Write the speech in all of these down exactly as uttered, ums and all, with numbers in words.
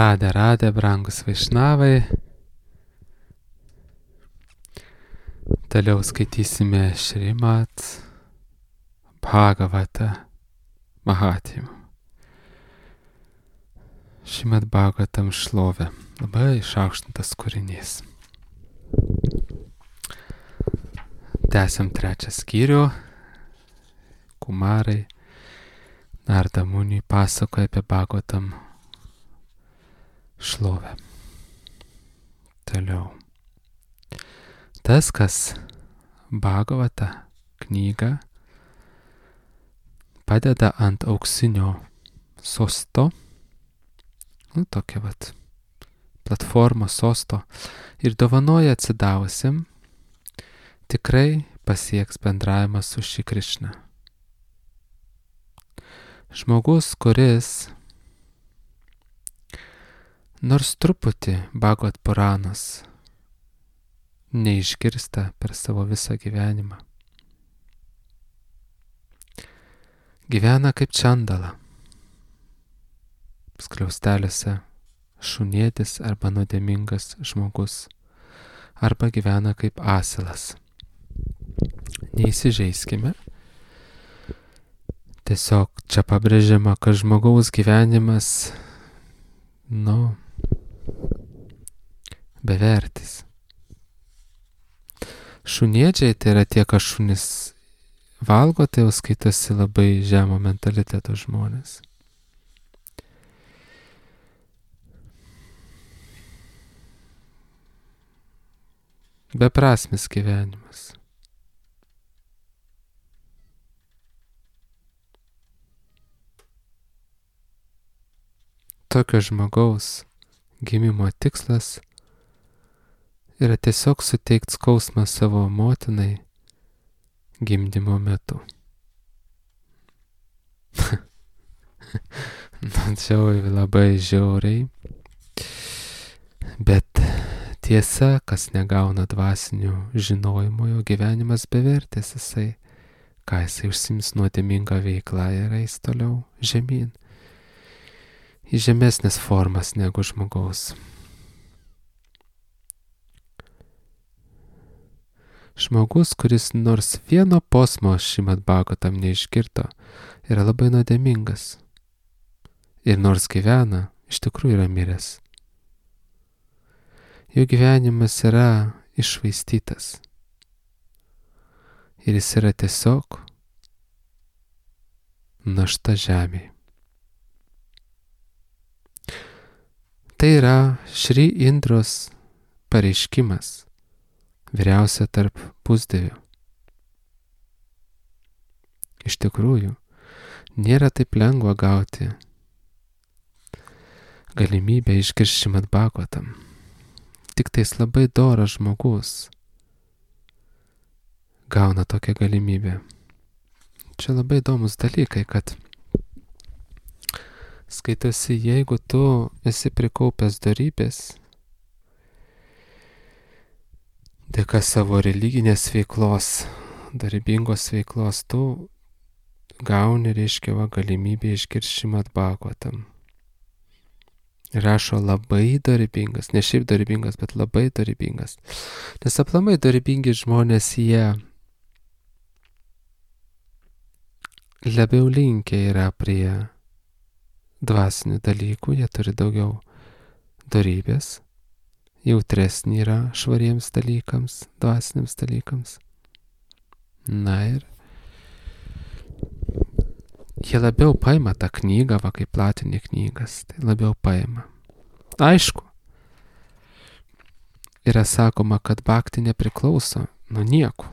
Radę, radę, brangus vaišnavai. Toliau skaitysime Šrimat Bhagavata Mahatmyą. Šrimat Bhagavatam šlovė. Labai išaukštintas kūrinys. Tęsiam trečią skyrių. Kumarai Narda Muniui pasakoja apie Bhagavatam šlovę. Toliau. Tas, kas Bhagavatą knygą padeda ant auksinio sosto, nu, tokia vat platforma sosto, ir dovanoja atsidavusiam, tikrai pasieks bendravimą su Šri Krišna. Žmogus, kuris nors truputį Bhagavat Puranos neišgirsta per savo visą gyvenimą, gyvena kaip čandala, skliausteliuose šunėtis arba nuodėmingas žmogus, arba gyvena kaip asilas. Neįsižeiskime. Tiesiog čia pabrėžiama, kad žmogaus gyvenimas, nu, bevertis. Šunėdžiai tai yra tie, kas šunis valgo, tai jau skaitosi labai žemo mentaliteto žmonės. Beprasmis gyvenimas. Tokio žmogaus gimimo tikslas yra tiesiog suteikti skausmą savo motinai gimdymo metu. Nu, čia labai žiauriai. Bet tiesa, kas negauna dvasinių žinojimo, jo gyvenimas bevertis, jisai, ką jisai užsiims nuodėmingą veiklą ir eis toliau žemyn, į žemesnės formas negu žmogaus. Žmogus, kuris nors vieno posmo Šrimad Bhagavatam neišgirdo, yra labai nuodėmingas. Ir nors gyvena, iš tikrųjų yra miręs. Jo gyvenimas yra iššvaistytas. Ir jis yra tiesiog našta žemėje. Tai yra Šri Indros pareiškimas, vyriausia tarp pusdievių. Iš tikrųjų, nėra taip lengva gauti galimybę išgirsti Šrimad Bhagavatam. Tik tais labai doras žmogus gauna tokią galimybę. Čia labai įdomus dalykai, kad skaitosi, jeigu tu esi prikaupęs dorybės, dėka savo religinės veiklos, dorybingos veiklos, tu gauni, reiškia, va, galimybę išgirsti Šrimad Bhagavatam. Rašo labai dorybingas, ne šiaip dorybingas, bet labai dorybingas. Nes aplamai dorybingi žmonės, jie labiau linkę yra prie dvasinių dalykų, jie turi daugiau dorybės, jautresni yra švariems dalykams, dvasiniams dalykams. Na ir jie labiau paima tą knygą, va, kaip platinė knygas, tai labiau paima. Aišku, yra sakoma, kad bhakti nepriklauso nuo nieko.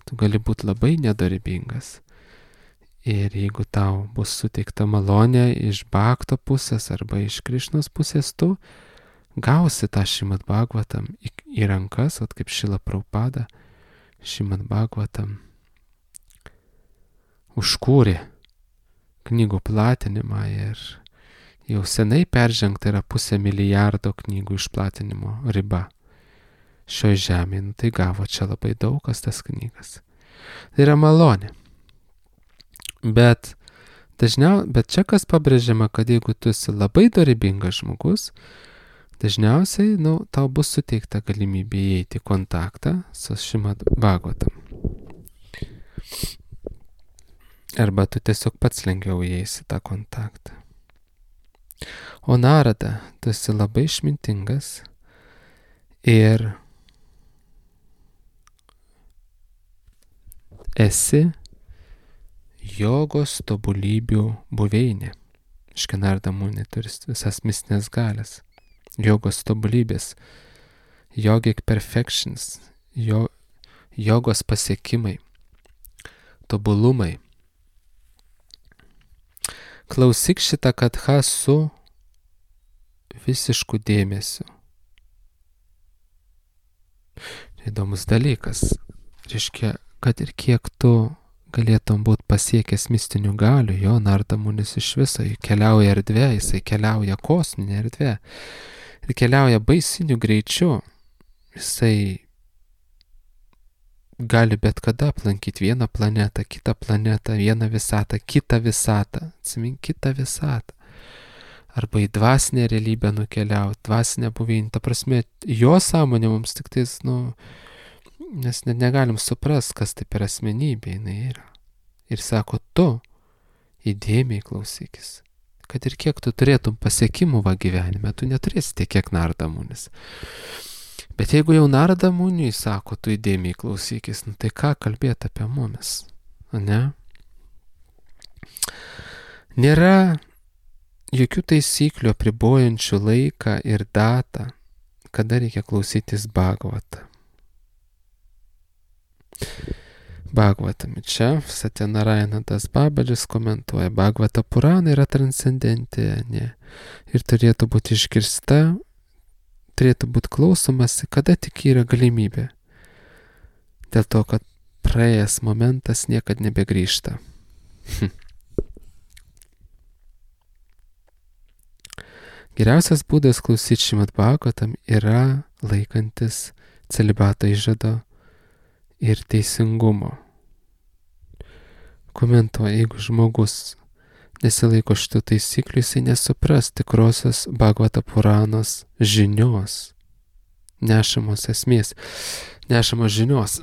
Tu gali būti labai nedorybingas. Ir jeigu tau bus suteikta malonė iš bhakto pusės arba iš Krišnos pusės, tu gausi tą Šrimad Bhagavatam į, į rankas, vat kaip Šrila Prabhupada Šrimad Bhagavatam užkūrė knygų platinimą ir jau senai peržengta yra pusę milijardo knygų išplatinimo riba šioje žemėje. Nu, tai gavo čia labai daug kas tas knygas. Tai yra malonė. Bet Dažniau, bet čia kas pabrėžiama, kad jeigu tu esi labai dorybingas žmogus, dažniausiai, nu, tau bus suteikta galimybė įeiti į kontaktą su Šrimad Bhagavatam. Arba tu tiesiog pats lengviau įeisi tą kontaktą. O Narada, tu esi labai išmintingas ir esi jogos tobulybių buveinė. Iškia Narada Muni turi visas mistinės galės. Jogos tobulybės, yogic perfections, jo, jogos pasiekimai, tobulumai. Klausyk šitą katchą su visišku dėmesiu. Įdomus dalykas. Reiškia, kad ir kiek tu galėtum būti pasiekęs mistinių galių, jo Narada Munis iš viso, jis keliauja erdvė, jisai keliauja kosminė erdvė ir keliauja baisiniu greičiu. Jisai gali bet kada aplankyti vieną planetą, kitą planetą, vieną visatą, kitą visatą, atsimink kitą visatą. Arba į dvasinę realybę nukeliauti, dvasinę buveinę. Ta prasme, jo sąmonė mums tik tais, nu, nes net negalim suprast, kas tai per asmenybė jinai yra. Ir sako, tu įdėmiai klausykis. Kad ir kiek tu turėtum pasiekimų va gyvenime, tu neturėsi tiek, kiek Narada Munis. Bet jeigu jau Narada Muniui sako, tu įdėmiai klausykis, nu tai ką kalbėti apie mumis, ne? Nėra jokių taisyklių apribojančių laiką ir datą, kada reikia klausytis Bhagavatą. Bhagavatam. Čia Satyanarayana Das Babajas komentuoja, Bhagavata Purana yra transcendentinė ir turėtų būti išgirsta, turėtų būti klausomasi, kada tik yra galimybė. Dėl to, kad praėjęs momentas niekad nebegrįžta. Geriausias būdas klausyti Šrimad Bhagavatam yra laikantis celibato įžado ir teisingumo. Komentuoja, jeigu žmogus nesilaiko šitų taisyklių, jisai nesupras tikrosios Bhagavata Puranos žinios, nešamos esmės, nešamos žinios.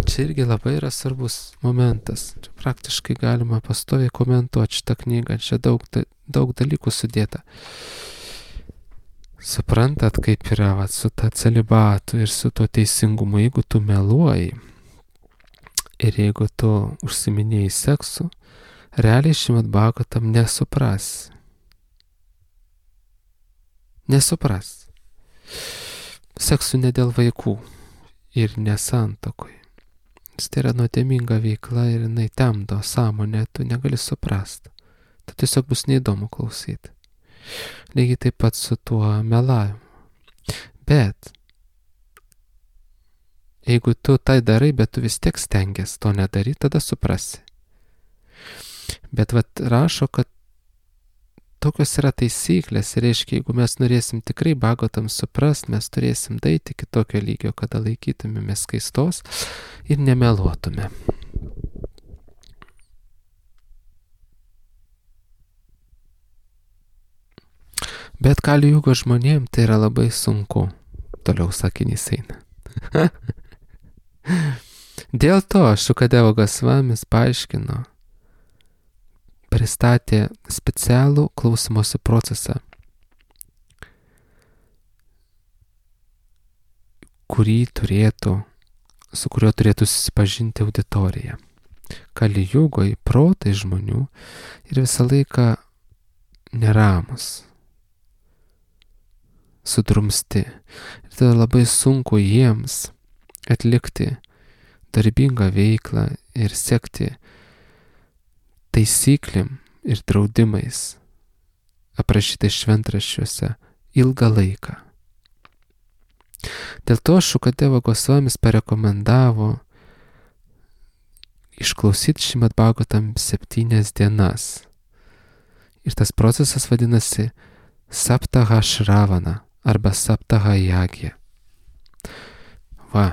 Čia irgi labai yra svarbus momentas. Čia praktiškai galima pastoviai komentuoti šitą knygą, čia daug, daug dalykų sudėta. Suprantat, kaip yra va, su ta celibatu ir su to teisingumu, jeigu tu meluoji ir jeigu tu užsiminėjai seksu, realiai Šrimad Bhagavatam nesupras. Nesupras. Seksu ne dėl vaikų ir nesantokoj. Tai yra nuodėminga veikla ir jinai temdo sąmonę, tu negali suprast. Tu tiesiog bus neįdomu klausyti. Lygiai taip pat su tuo melavimu. Bet jeigu tu tai darai, bet tu vis tiek stengiasi to nedaryti, tada suprasi. Bet vat rašo, kad tokios yra taisyklės ir reiškia, jeigu mes norėsim tikrai Bhagavatam suprast, mes turėsim daeiti iki tokio lygio, kada laikytumėmės skaistos ir nemeluotume. Bet Kali Jugo žmonėm tai yra labai sunku. Toliau sakinys eina. Dėl to Šukadeva Gosvamis paaiškino, pristatė specialų klausymosi procesą, kurį turėtų, su kuriuo turėtų susipažinti auditorija. Kali Jugoj protai žmonių ir visą laiką neramus, sudrumsti. Ir tada labai sunku jiems atlikti darbingą veiklą ir sekti taisyklėm ir draudimais aprašytais šventraščiuose ilgą laiką. Dėl to Šukadeva Gosvamis parekomendavo išklausyti Šrimad Bhagavatam septynias dienas. Ir tas procesas vadinasi Saptaha Shravana arba Saptaha Yagya. Va.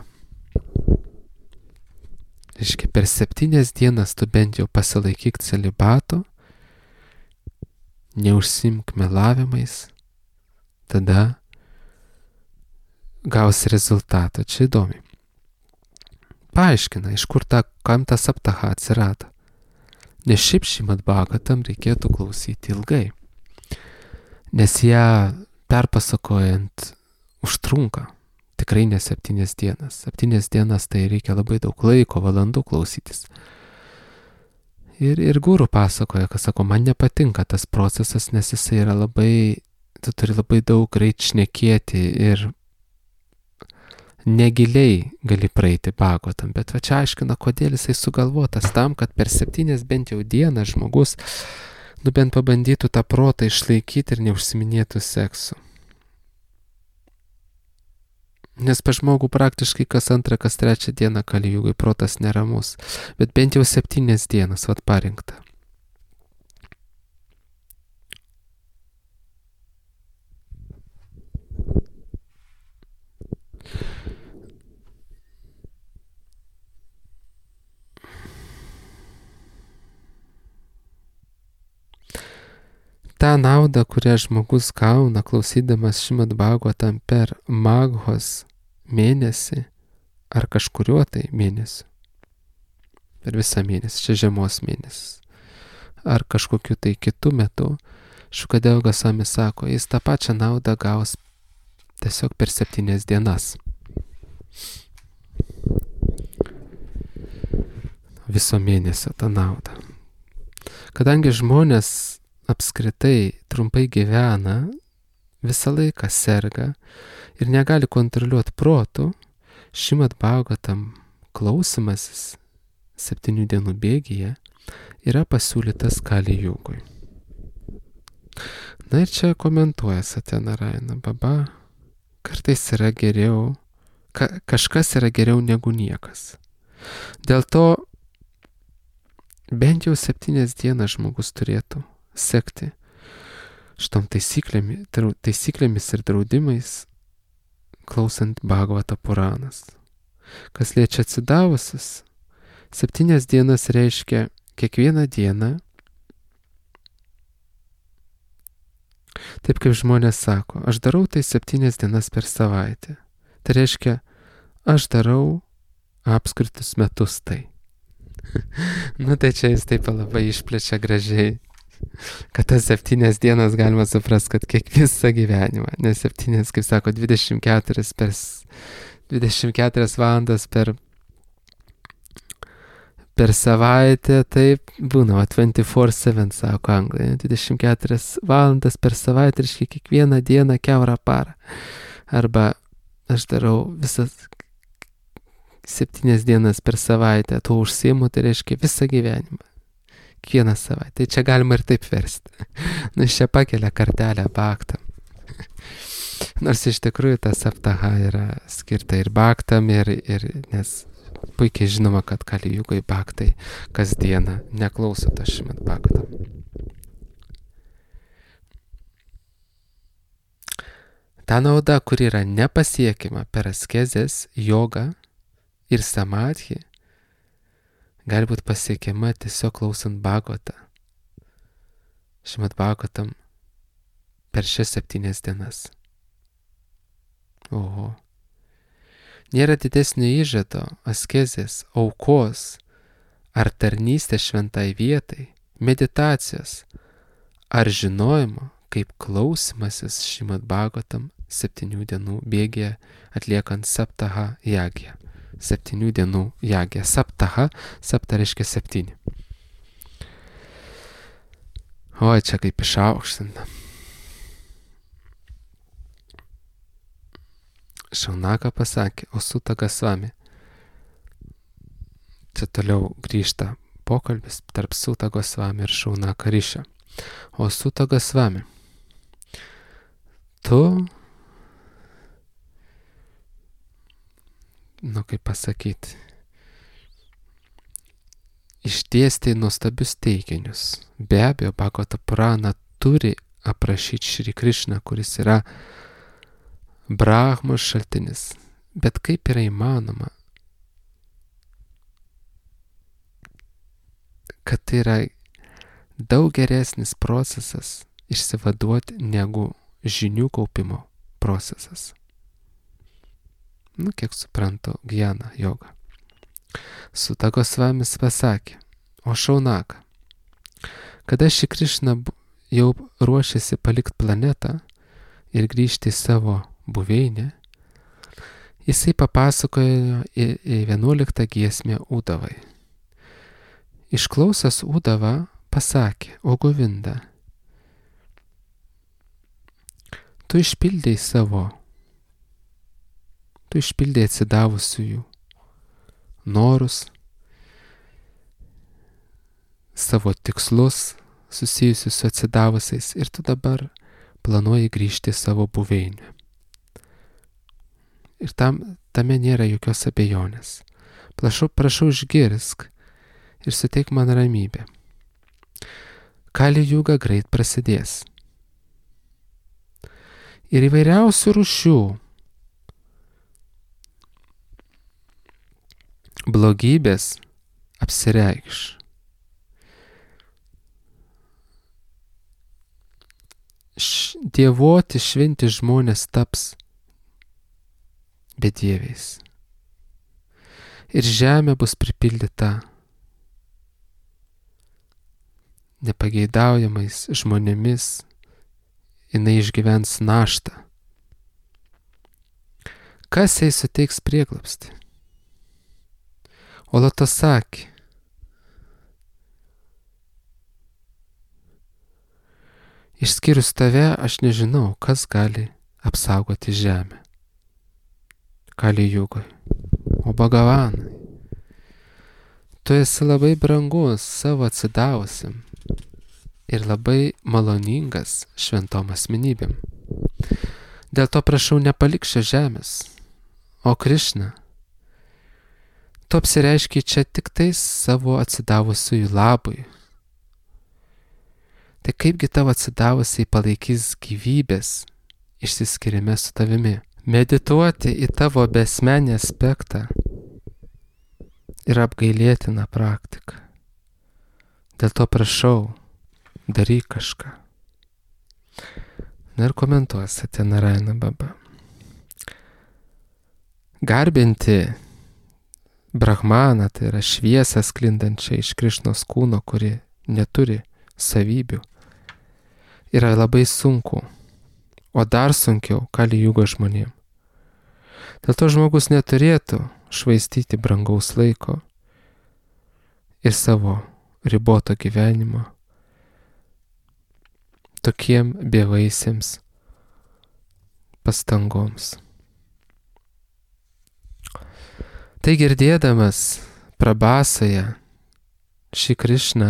Reiškia, per septynias dienas tu bent jau pasilaikyk celibato neužsimk melavimais, tada gausi rezultatą. Čia įdomi. Paaiškina, iš kur ta, kam ta saptaha atsirado. Nes šiaip Šrimad Bhagavatam reikėtų klausyti ilgai. Nes ją perpasakojant užtrunka. Tikrai ne septynias dienas. Septynias dienas tai reikia labai daug laiko, valandų klausytis. Ir, ir guru pasakoja, kas sako, man nepatinka tas procesas, nes jisai yra labai, tu turi labai daug greit šnekėti ir negiliai gali praeiti Bhagavatam. Bet va čia aiškina, kodėl jisai sugalvotas tam, kad per septynias bent jau dieną žmogus, nu bent pabandytų tą protą išlaikyti ir neužsiminėtų seksu. Nes pa žmogų praktiškai kas antrą, kas trečią dieną Kali-jugai protas neramus. Bet bent jau septynias dienas, vat parinkta. Ta nauda, kurią žmogus gauna klausydamas Šrimad Bhagavatam per Maghos mėnesį ar kažkuriuo tai mėnesiu, per visą mėnesį, čia žiemos mėnesis, ar kažkokiu tai kitu metu, Šukadeva Gosvami sako, jis tą pačią naudą gaus tiesiog per septynias dienas. Viso mėnesio tą naudą. Kadangi žmonės apskritai trumpai gyvena, visą laiką serga ir negali kontroliuoti protų, Šrimad Bhagavatam klausimasis septynių dienų bėgyje yra pasiūlytas Kali-jugui. Na ir čia komentuoja Satyanarayana Baba, kartais yra geriau, ka, kažkas yra geriau negu niekas. Dėl to bent jau septynias dienas žmogus turėtų sekti šitom taisyklėmis, taisyklėmis ir draudimais, klausant Bhagavata Puranas. Kas liečia atsidavusius, septynias dienas reiškia kiekvieną dieną, taip kaip žmonės sako, aš darau tai septynias dienas per savaitę. Tai reiškia, aš darau apskritus metus tai. Nu tai čia jis taip labai išplečia gražiai, kad tas septynias dienas galima suprasti, kad kiek visą gyvenimą, nes septynias, kaip sako, dvidešimt keturias, per, dvidešimt keturias valandas per, per savaitę, taip būna, dvidešimt keturias valandas, sako anglai, dvidešimt keturias valandas per savaitę, reiškia kiekvieną dieną kiaurą parą. Arba aš darau visas septynias dienas per savaitę, tuo užsiimu, tai reiškia visą gyvenimą. Kiekvieną savaitę. Tai čia galima ir taip versti. Nu, iš čia pakelia kartelę bhaktam. Nors iš tikrųjų ta saptaha yra skirta ir bhaktam, ir, ir nes puikiai žinoma, kad Kali-jugai bhaktai kasdieną neklauso to Šrimad Bhagavatam. Ta nauda, kuri yra nepasiekima per askezės, jogą ir samadhi, gali būti pasiekiama tiesiog klausant Bhagavatą, Šrimad Bhagavatam per šias septynias dienas. Oho. Nėra didesnio įžado, askezės, aukos ar tarnystės šventai vietai, meditacijos ar žinojimo, kaip klausimasis Šrimad Bhagavatam septynių dienų bėgyje atliekant saptaha jagją. Septynių dienų jagė. Saptaha, sapta reiškia septyni. Oi, čia kaip išaukštinta. Šaunaka pasakė, o Suta Gosvami. Čia toliau grįžta pokalbis tarp Suta Gosvami ir Šaunaka Rišio. O Suta Gosvami, tu, nu kaip pasakyti, išdėstė nuostabius teiginius. Be abejo, Bhagavata Purana turi aprašyti Šri Krishną, kuris yra Brahmos šaltinis. Bet kaip yra įmanoma, kad tai yra daug geresnis procesas išsivaduoti negu žinių kaupimo procesas. Nu, kiek suprantu, Gyana joga. Suta Gosvamis pasakė, o Šaunaka, kada Šri Krišna jau ruošėsi palikti planetą ir grįžti į savo buveinę, jisai papasakojo į, į vienuoliktą giesmę Udavai. Išklausęs Udavą pasakė, o Govinda, tu išpildėjai savo, tu išpildėjai atsidavusiųjų norus, savo tikslus susijusius su atsidavusiais ir tu dabar planuoji grįžti į savo buveinę. Ir tam, tame nėra jokios abejonės. Prašau, prašau išgirsk ir suteik man ramybę. Kali juga greit prasidės. Ir įvairiausių rūšių blogybės apsireikš. Š- dievoti šventi žmonės taps bedieviais. Ir žemė bus pripildyta nepageidaujamais žmonėmis, jinai išgyvens naštą. Kas jai suteiks prieglobstį? Olatosaki. Išskyrus tave, aš nežinau, kas gali apsaugoti žemę. Kali jugoj. O Bhagavanai, tu esi labai brangus savo atsidavusiam ir labai maloningas šventom asmenybėm. Dėl to prašau nepalik šios žemės. O Krišna, tu apsireiški čia tik tais savo atsidavusiųjų labui. Tai kaipgi tavo atsidavusiai palaikys gyvybės išsiskyrime su tavimi? Medituoti į tavo besmenį aspektą yra apgailėtina praktika. Dėl to prašau, daryk kažką. Na ir komentuosite Narayana Baba. Garbinti Brahmaną, tai yra šviesą sklindančią iš Krišnos kūno, kuri neturi savybių, yra labai sunku, o dar sunkiau Kali jugos žmonėm. Dėl to žmogus neturėtų švaistyti brangaus laiko ir savo riboto gyvenimo tokiem bevaisėms pastangoms. Tai girdėdamas Prabhasoje Šri Krišna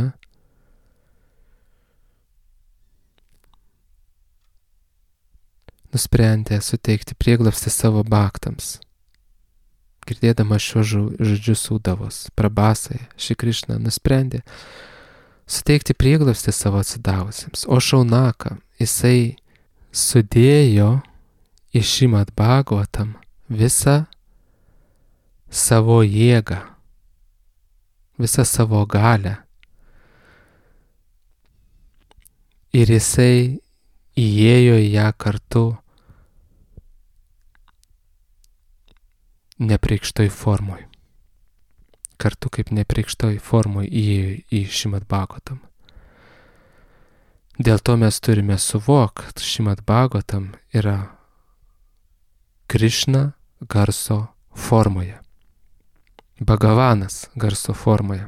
nusprendė suteikti prieglobstį savo baktams. Girdėdamas šios žodžius Udavos, Prabhasoje Šri Krišna nusprendė suteikti prieglobstį savo atsidavusiems. O Šaunaka, jisai sudėjo į Šrimad Bhagavatam visą savo jėgą, visą savo galią. Ir jisai įėjo į ją kartu nepreikštoj formoj. Kartu kaip nepreikštoj formoj įėjo į Šrimad Bhagavatam. Dėl to mes turime suvokti, kad Šrimad Bhagavatam yra Krišna garso formoje. Bhagavanas garso formoje.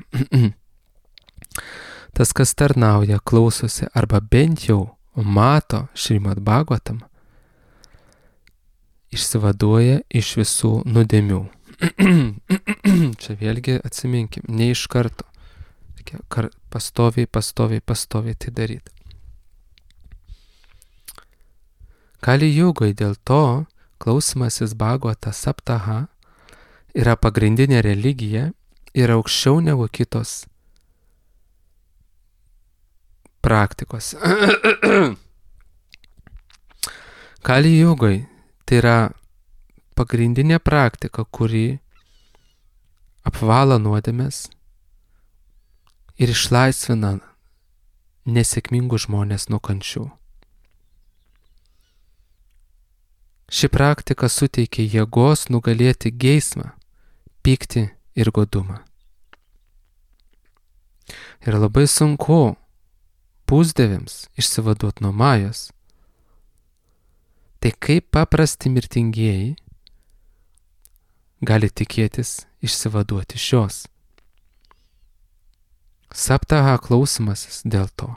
Tas, kas tarnauja, klausosi arba bent jau mato Šrimad Bhagavatam, išsivaduoja iš visų nuodėmių. Čia vėlgi atsiminkim, ne iš karto. Reikia pastoviai, pastoviai, pastoviai tai daryti. Kali jugoj dėl to klausimasis Bhagavata Saptaha yra pagrindinė religija ir aukščiau negu kitos praktikos. Kali jugoj tai yra pagrindinė praktika, kuri apvalo nuodėmes ir išlaisvina nesėkmingus žmonės nuo kančių. Ši praktika suteikia jėgos nugalėti geismą, pyktį ir godumą. Ir labai sunku pusdieviams išsivaduoti nuo majos. Tai kaip paprasti mirtingieji gali tikėtis išsivaduoti iš jos. Saptaha klausimasis dėl to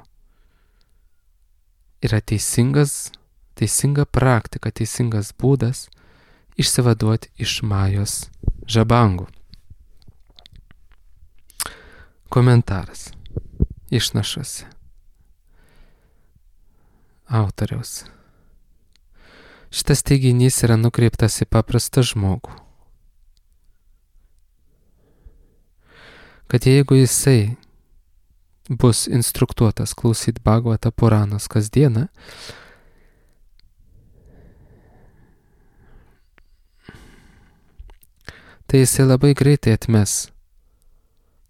yra teisingas, teisinga praktika, teisingas būdas išsivaduoti iš majos žabangų. Komentaras išnašose autoriaus. Šitas teiginys yra nukreiptas į paprastą žmogų. Kad jeigu jisai bus instruktuotas klausyti Bhagavata Puranos kasdieną, tai jisai labai greitai atmes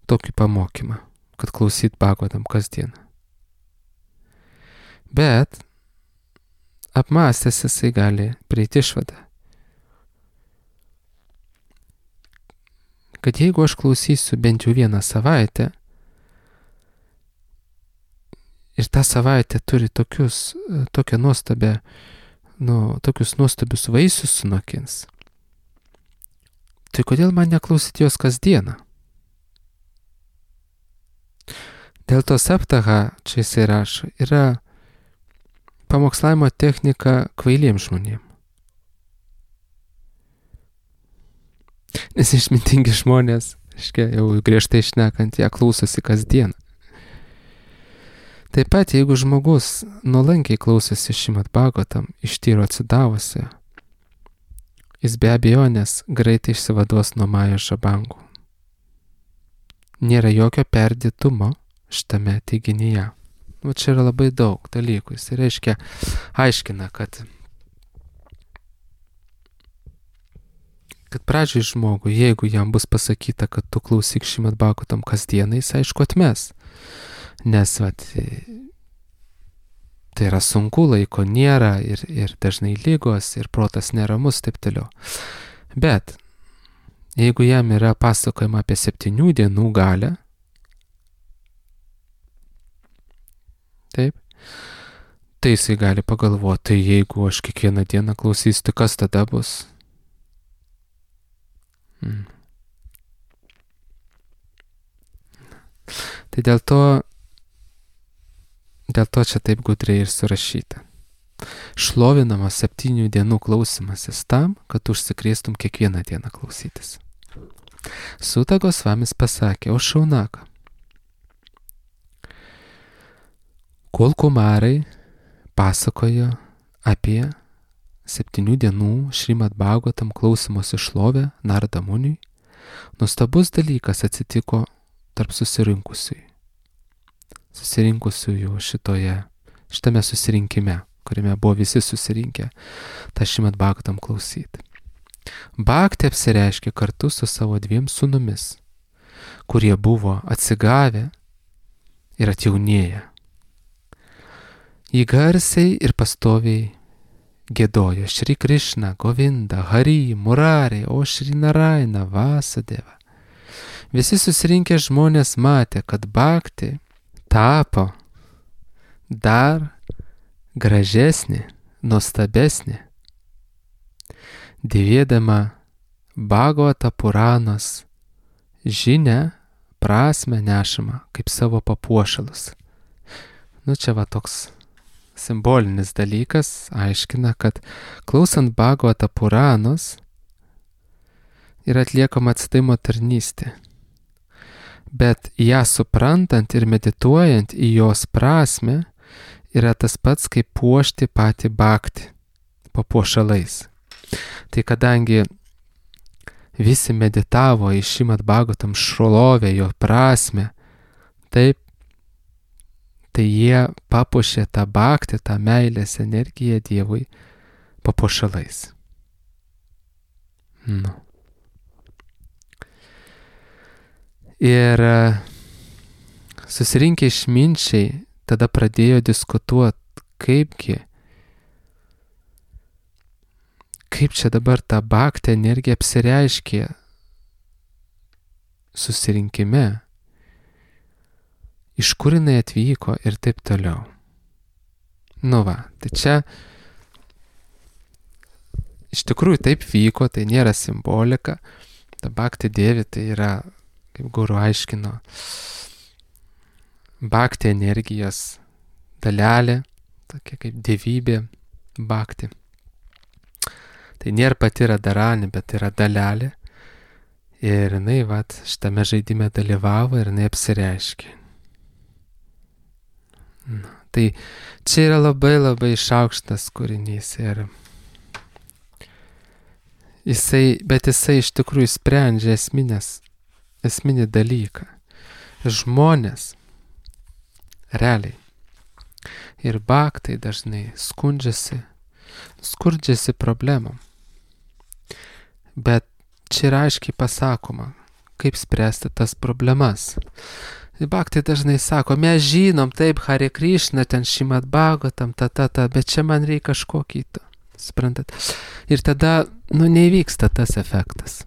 tokį pamokymą, kad klausyt Bhagavatam kasdieną. Bet apmąstęs jisai gali prieiti išvadą, kad jeigu aš klausysiu bent jau vieną savaitę ir ta savaitė turi tokius, tokią nuostabę, nu, tokius nuostabius vaisius sunokins, tai kodėl man neklausyti jos kasdieną? Dėl to saptaha, čia jisai rašo, yra pamokslavimo technika kvailiems žmonėms. Nes išmintingi žmonės, aiškia, jau griežtai šnekant, ją klausosi kasdien. Taip pat, jeigu žmogus nuolankiai klausosi Šrimad Bhagavatam iš tyro atsidavusi, jis be abejonės greitai išsivaduos nuo majos žabangų. Nėra jokio perdėtumo šitame teiginyje. O čia yra labai daug dalykų. Jis reiškia, aiškina, kad kad pradžiai žmogui, jeigu jam bus pasakyta, kad tu klausyk Šrimad Bhagavatam kasdieną, jis aišku atmes. Nes, vat, tai yra sunku, laiko nėra ir, ir dažnai lygos, ir protas neramus, taip toliau. Bet, jeigu jam yra pasakojama apie septynių dienų galią, taip, tai jisai gali pagalvoti, tai jeigu aš kiekvieną dieną klausysiu, tai kas tada bus? Hmm. Tai dėl to, dėl to čia taip gudriai ir surašyta. Šlovinamas septynių dienų klausimasis tam, kad užsikrėstum kiekvieną dieną klausytis. Suta Gosvamis pasakė, o Šaunaka, kol kumarai pasakojo apie septynių dienų Šrimad Bhagavatam klausimosi šlovę Narada Muniui, nuostabus dalykas atsitiko tarp susirinkusiųjų. Susirinkusiųjų šitoje, šitame susirinkime, kuriame buvo visi susirinkę tą Šrimad Bhagavatam klausyti. Bhakti apsireiškė kartu su savo dviem sūnumis, kurie buvo atsigavę ir atjaunėję. Jį garsiai ir pastoviai giedojo Šri Krishna, Govinda, Hari, Murari, o Šri Naraina, Vasudeva. Visi susirinkę žmonės matė, kad Bhakti tapo dar gražesnė, nuostabesnė, dėvėdama Bhagavata Puranos žinią, prasmę nešamą kaip savo papuošalus. Nu čia va toks simbolinis dalykas, aiškina, kad klausant Bhagavata Puranos yra atliekama atsidavimo tarnystė. Bet ją suprantant ir medituojant į jos prasmę yra tas pats, kaip puošti patį Bhakti papuošalais. Tai kadangi visi meditavo į Šrimad Bhagavatam šlovę, jo prasmę, taip, tai jie papuošė tą Bhaktį, tą meilės energiją Dievui papuošalais. Nu. Ir susirinkę išminčiai tada pradėjo diskutuoti, kaipgi, kaip čia dabar ta bhakti energija apsireiškė susirinkime, iš kur jinai atvyko ir taip toliau. Nu va, tai čia iš tikrųjų taip vyko, tai nėra simbolika. Ta bhakti dievi tai yra, kaip guru aiškino, bhakti energijos dalelė, tokia kaip dievybė bhakti. Tai nėra pati Radharani, bet yra dalelė. Ir jinai, vat, šitame žaidime dalyvavo ir jinai apsireiškė. Na, tai čia yra labai labai išaukštas kūrinys ir jisai, bet jisai iš tikrųjų sprendžia esminės, esminį dalyką. Žmonės realiai ir bhaktai dažnai skundžiasi, skurdžiasi problemom. Bet čia yra aiškiai pasakoma, kaip spręsti tas problemas. Bhaktai dažnai sako, mes žinom, taip, Hare Krishna, ten Šrimad Bhagavatam, ta, ta, ta, bet čia man reikia kažko kito. Suprantat? Ir tada, nu, neįvyksta tas efektas.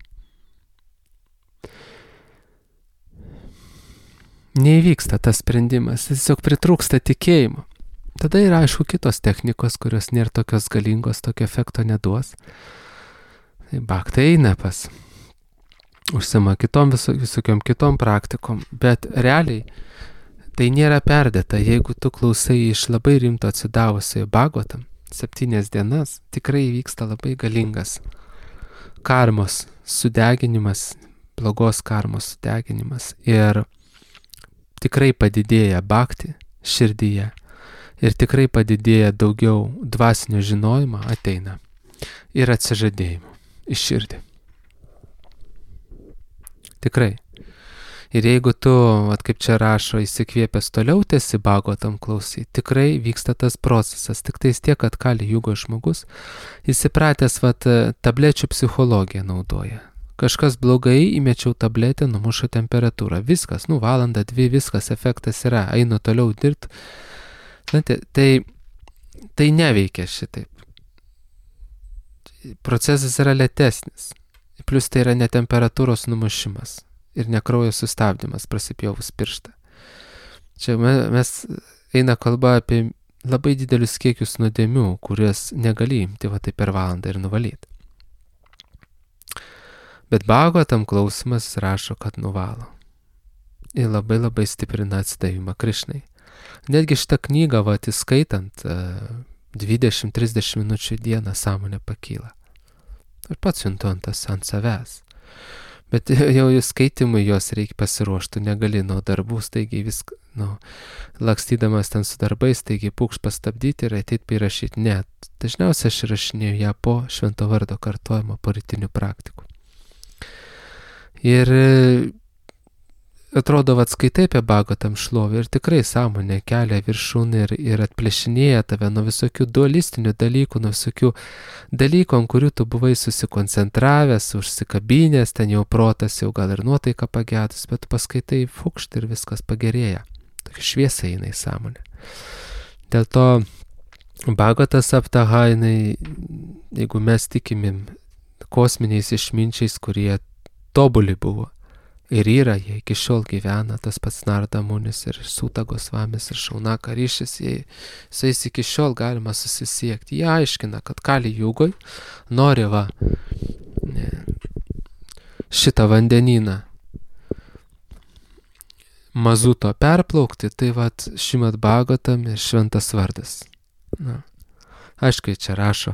Neįvyksta tas sprendimas, tiesiog pritrūksta tikėjimo. Tada yra, aišku, kitos technikos, kurios nėra tokios galingos, tokio efekto neduos. Tai bhaktai eina pas, užsima kitom viso, visokiom kitom praktikom, bet realiai tai nėra perdėta. Jeigu tu klausai iš labai rimto atsidavusiojo Bhagavatam, septynias dienas, tikrai vyksta labai galingas karmos sudeginimas, blogos karmos sudeginimas ir tikrai padidėja bhakti širdyje ir tikrai padidėja daugiau dvasinio žinojimo ateina ir atsižadėjimo iš širdį. Tikrai. Ir jeigu tu, vat kaip čia rašo, įsikvėpęs toliau tęsi Bhagavatam klausai, tikrai vyksta tas procesas. Tik tais tiek, kad Kali Jugo žmogus įsipratęs, vat, tablečių psichologiją naudoja. Kažkas blogai, įmečiau tabletę, numušo temperatūrą. Viskas, nu valanda, dvi, viskas, efektas yra, einu toliau dirbti. Tai, tai neveikia šitaip. Procesas yra lėtesnis. Plius tai yra ne temperatūros numušimas ir ne kraujo sustabdymas prasipjovus pirštą. Čia mes eina kalba apie labai didelius kiekius nuodėmių, kuriuos negali imti va tai per valandą ir nuvalyti. Bet Bhagavatam klausimas rašo, kad nuvalo. Ir labai labai stiprina atsidavimą Krishnai. Netgi šitą knygą, va, įskaitant, dvidešimt trisdešimt minučių į dieną sąmonė pakyla. Ir pats juntu ant tas ant savęs. Bet jau jų skaitimui jos reikia pasiruošti, negali nuo darbų staigiai viską, nu, lakstydamas ten su darbais, staigiai pūkš pastabdyti ir ateit įrašyti. Ne, dažniausiai aš rašinėjau ją po švento vardo kartojimo po rytinių praktikų. Ir atrodo, vat skaitai apie Bhagavatam šlovę ir tikrai sąmonė kelia viršūn ir, ir atplėšinėja tave nuo visokių dualistinių dalykų, nuo visokių dalykų, ant kurių tu buvai susikoncentravęs, užsikabinęs, ten jau protas, jau gal ir nuotaika pagedus, bet paskaitai fukšt ir viskas pagerėja. Tokia šviesa eina į sąmonę. Dėl to Bhagavatas aptaha, jinai, jeigu mes tikimim kosminiais išminčiais, kurie tobuli buvo, ir yra, jie iki šiol gyvena, tas pats Narada Munis ir Sūta Gosvamis ir Šaunaka Ryšis, jie, su jais iki šiol galima susisiekti. Jie aiškina, kad Kali Jugoj nori va ne, šitą vandenyną mazuto perplaukti, tai va Šrimad Bhagavatam ir šventas vardas. Na. Aišku, čia rašo,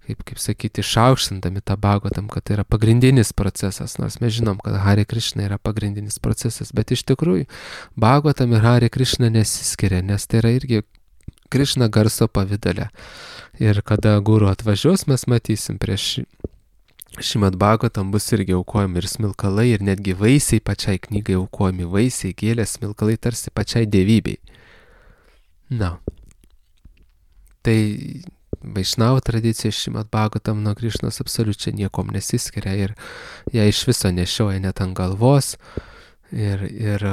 kaip, kaip sakyti, išaukštindami tą Bhagavatam, kad tai yra pagrindinis procesas, nors mes žinom, kad Hare Krishna yra pagrindinis procesas, bet iš tikrųjų Bhagavatam ir Hare Krishna nesiskiria, nes tai yra irgi Krishna garso pavidale. Ir kada guru atvažiuos, mes matysim prieš Šrimad Bhagavatam bus irgi aukojami ir smilkalai, ir netgi vaisiai pačiai knygai aukojami, vaisiai, gėlės, smilkalai tarsi pačiai dievybei. Na. Tai Vaišnavų tradicija Šrimad Bhagavatam nuo Krišnos absoliučiai niekom nesiskiria ir ją iš viso nešioja net ant galvos ir, ir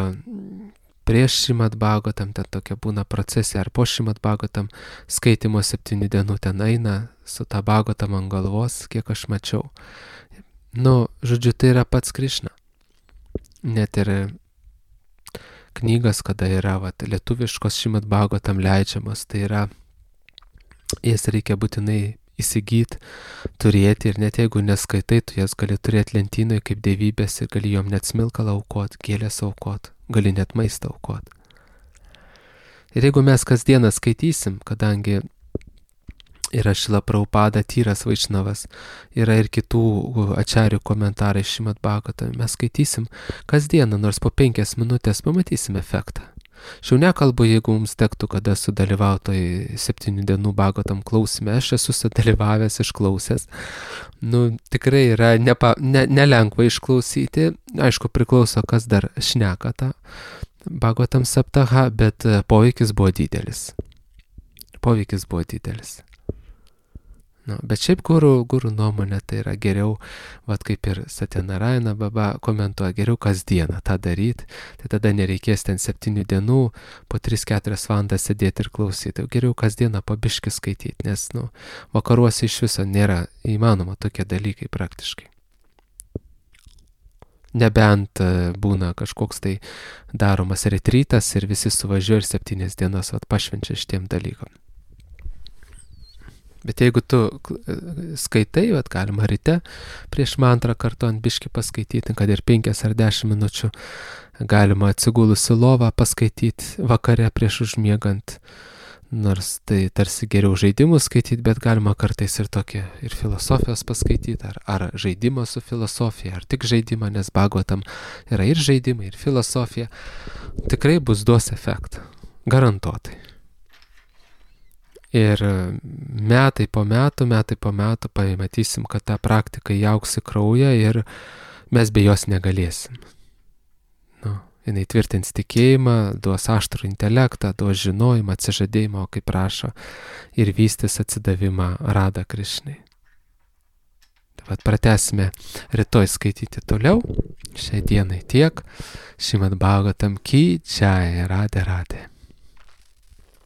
prieš Šrimad Bhagavatam ten tokia būna procesija, ar po Šrimad Bhagavatam skaitimo septynių dienų ten eina su tą Bhagavatam ant galvos, kiek aš mačiau. Nu, žodžiu, tai yra pats Krišna. Net ir knygas, kada yra vat, lietuviškos Šrimad Bhagavatam leidžiamos, tai yra, jas reikia būtinai įsigyti, turėti ir net jeigu neskaitai, tu jas gali turėti lentynoje kaip dievybės ir gali jom net smilkalą aukot, gėlės aukot, gali net maistą aukot. Ir jeigu mes kasdieną skaitysim, kadangi yra Šrila Prabhupada, Tyras Vaišnavas, yra ir kitų ačarių komentarai Šrimad Bhagavatam, mes skaitysim kasdieną, nors po penkias minutės pamatysim efektą. Šiau nekalbu, jeigu mums tektų kada sudalyvautoj septynių dienų Bhagavatam klausime, aš esu sudalyvavęs, išklausęs. Nu, tikrai yra nepa, ne, nelengva išklausyti, aišku, priklauso, kas dar šneka tą Bhagavatam saptaha, bet poveikis buvo didelis. Poveikis buvo didelis. Nu, bet šiaip guru, guru nuomonė tai yra geriau, vat kaip ir Satyanarayana Baba komentuoja, geriau kasdieną tą daryti, tai tada nereikės ten septynių dienų, po tris keturias valandas sėdėti ir klausyti, geriau kasdieną po biškį skaityti, nes nu, vakaruose iš viso nėra įmanoma tokie dalykai praktiškai. Nebent būna kažkoks tai daromas retrytas ir visi suvažiuoja ir septynias dienas vat, pašvenčia šitiem dalykam. Bet jeigu tu skaitai, vat, galima ryte prieš mantrą kartu ant biškį paskaityti, kad ir penkias ar dešimt minučių, galima atsigulus į lovą paskaityti vakare prieš užmiegant, nors tai tarsi geriau žaidimus skaityti, bet galima kartais ir tokį ir filosofijos paskaityti, ar, ar žaidimą su filosofija, ar tik žaidimą, nes Bhagavatam yra ir žaidimai, ir filosofija. Tikrai bus duos efektą, garantuotai. Ir metai po metų, metai po metų pamatysim, kad ta praktika įaugs į kraują ir mes be jos negalėsim. Nu, jinai tvirtins tikėjimą, duos aštrų intelektą, duos žinojimą, atsižadėjimą, kaip prašo, ir vystys atsidavimą Radha Krišnai. Vat pratęsime rytoj skaityti toliau. Šiai dienai tiek. Šrimad Bhagavatam ki jai, Radhe Radhe.